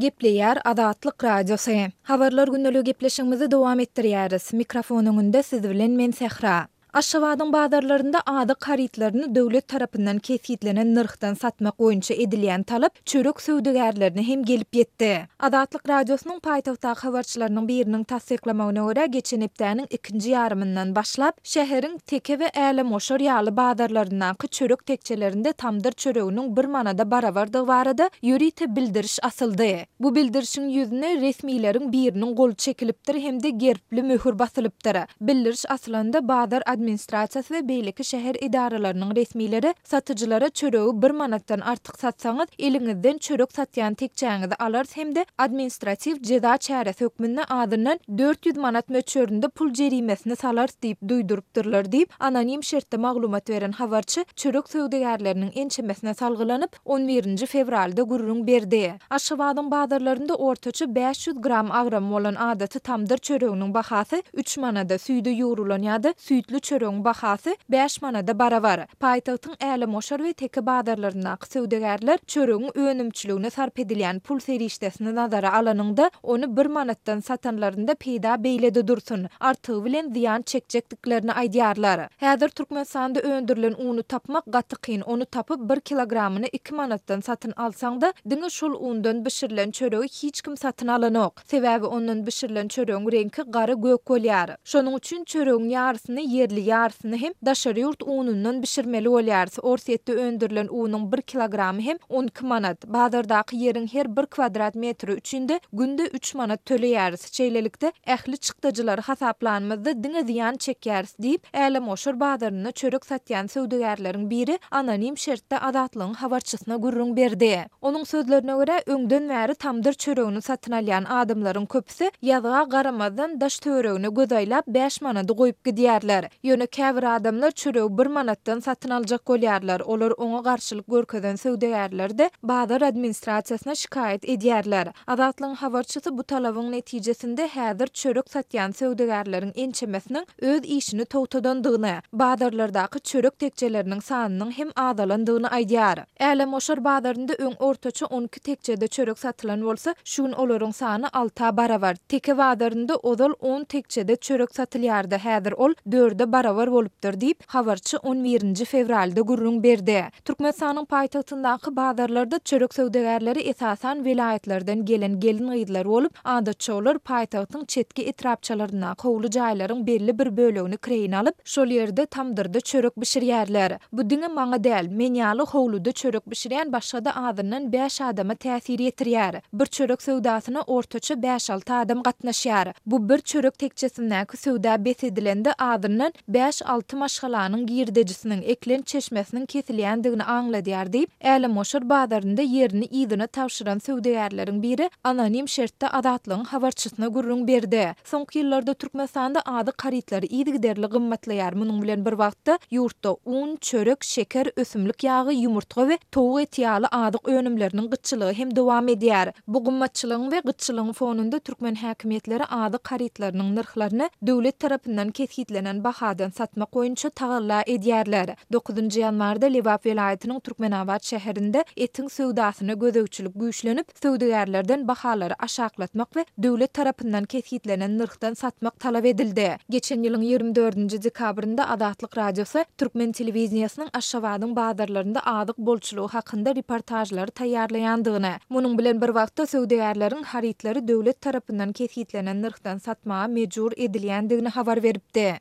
Gepleýär Azatlyk Radiosy. Habarlar gündeligi gepleşigimizi dowam etdirýäris. Mikrofon öňünde siz bilen men Sähra. Aşgabadyň bazarlarynda azyk harytlaryny döwlet tarapyndan kesgitlenen nyrhdan satmak boýunça edilýän talap çörek söwdagärlerine hem gelip ýetdi. Azatlyk Radiosynyň paýtagtdaky habarçylarynyň biriniň tassyklamagyna görä, geçen hepdäniň ikinji ýarymyndan başlap, şäheriň Teke we Älemgoşar ýaly bazarlaryndaky çörek tekjelerinde tamdyr çöreginiň bir manada barabardygy barada ýörite bildiriş asyldy. Bu bildirişiň ýüzüne resmileriň biriniň goly çekilipdir hem-de gerbli möhür basylypdyr. Bildiriş asylanda bazar administrasiýasy we beýleki şäher edaralarynyň resmileri satyjylara çöregi bir manatdan artyk satsaňyz, eliňizden çörek satýan tekjäňizi alarys hem-de administratiw jeza çäresi hökmünde azyndan 400 manat möçberinde pul jerimesini salarys diýip duýdurypdyrlar diýip, anonim şertde maglumat beren habarçy çörek söwdagärleriniň ençemesine salgylanyp, on birinji fewralda gürrüň berdi. Aşgabadyň bazarlarynda ortaça 500 gram agramy bolan adaty tamdyr çöreginiň bahasy üç manada, süýde ýugrulan ýa-da süýtli çöregiň bahasy bäş manada barabar. Paýtagtyň Älemgoşar we Teke bazarlaryndaky söwdagärler çöregiň önümçiligine sarp edilýän pul serişdesini nazara alanyňda, ony bir manatdan satanlarynda peýda beýle-de dursun, artygy bilen zyýan çekjekdiklerini aýdýarlar. Häzir Türkmenistanda öndürilen uny tapmak gaty kyn, ony tapyp, bir kilogramyny iki manatdan satyn alsaň-da, diňe şol undan bişirilen çöregi hiç kim satyn alanok. Sebäbi ondan bişirilen çöregiň reňki gara gök bolýar. Şonuň üçin çöregiň ýarysyny ýerli, ýarysyny hem daşary ýurt unundan bişirmeli bolýarys. Orsýetde öndürilen unuň bir kilogramy hem 12 manat. Bazardaky ýeriň her bir kwadrat metri üçin-de günde üç manat töleýäris. Şeýlelikde, ähli çykdajylary hasaplanymyzda diňe zyýan çekýäris diýip, Älemgoşar bazarynda çörek satýan söwdagärleriň biri anonim şertde Azatlygyň habarçysyna gürrüň berdi. Onuň sözlerine görä, öňden bäri tamdyr çöregini satyn alýan adamlaryň köpüsi ýazga garamazdan daş-töweregine göz aýlap bäş manady goýup gidýärler. Ýöne käbir adamlar çöregi bir manatdan satyn aljak bolýarlar, olar oňa garşylyk görkezen söwdagärleri-de bazar administrasiýasyna şikaýat edýärler. Azatlygyň habarçysy bu talabyň netijesinde häzir çörek satýan söwdagärleriň ençemesiniň öz işini togtadandygyny, bazarlardaky çörek tekjeleriniň sanynyň hem azalandygyny aýdýar. Älemgoşar bazarynda öň ortaça 12 tekjede çörek satylan bolsa, şu gün olaryň sany alta barabar. Teke bazarynda ozal on tekjede çörek satylýardy, häzir ol dörde barabar bolupdyr diýip, habarçy on birinji fewralda gürrüň berdi. Türkmenistanyň paýtagtyndaky bazarlarda çörek söwdagärleri esasan welaýatlardan gelen gelin-gyzlar bolup, adatça olar paýtagtyň çetki etrapçalaryndaky howly jaýlaryň belli bir bölegini kireýine alyp, şol ýerde tamdyrda çörek bişirýärler. Bu diňe maňa däl, men ýaly howluda çörek bişirýän başga-da azyndan bäş adama täsir ýetirýär. Bir çörek söwdasyna ortaça bäş-alty adam gatnaşýar. Bu bir çörek tekjesindäki söwda bes edilende azyndan bäş-alty maşgalanyň girdejisiniň, eklenç çeşmesiniň kesilýändigini aňladýar diýip, Älemgoşar bazarynda ýerini yzyna tabşyran söwdagärleriň biri anonim şertde Azatlygyň habarçysyna gürrüň berdi. Soňky ýyllarda Türkmenistanda azyk harytlary yzygiderli gymmatlaýar, munuň bilen bir wagtda, ýurtda un, çörek, şeker, ösümlik ýagy, ýumurtga we towuk eti ýaly azyk önümleriniň gytçylygy hem dowam edýär. Bu gymmatçylygyň we gytçylygyň fonunda türkmen häkimiýetleri azyk harytlarynyň nyrhlaryny döwlet tarapyndan kesgitlenen bahadan satmak boýunça tagalla edýärler. Dokuzynjy ýanwarda Lebap welaýatynyň Türkmenabat şäherinde etiň söwdasyna gözegçilik güýçlenip, söwdagärlerden bahalary aşaklatmak we döwlet tarapyndan kesgitlenen nyrhdan satmak talap edildi. Geçen ýylyň 24-nji dekabrynda Azatlyk Radiosy türkmen telewideniýesiniň Aşgabadyň bazarlarynda azyk bolçulygy hakynda reportažlary taýýarlaýandygyny, munuň bilen bir wagtda söwdagärleriň harytlary döwlet tarapyndan kesgitlenen nyrhdan satmaga mejbur edilýändigini habar beripdi.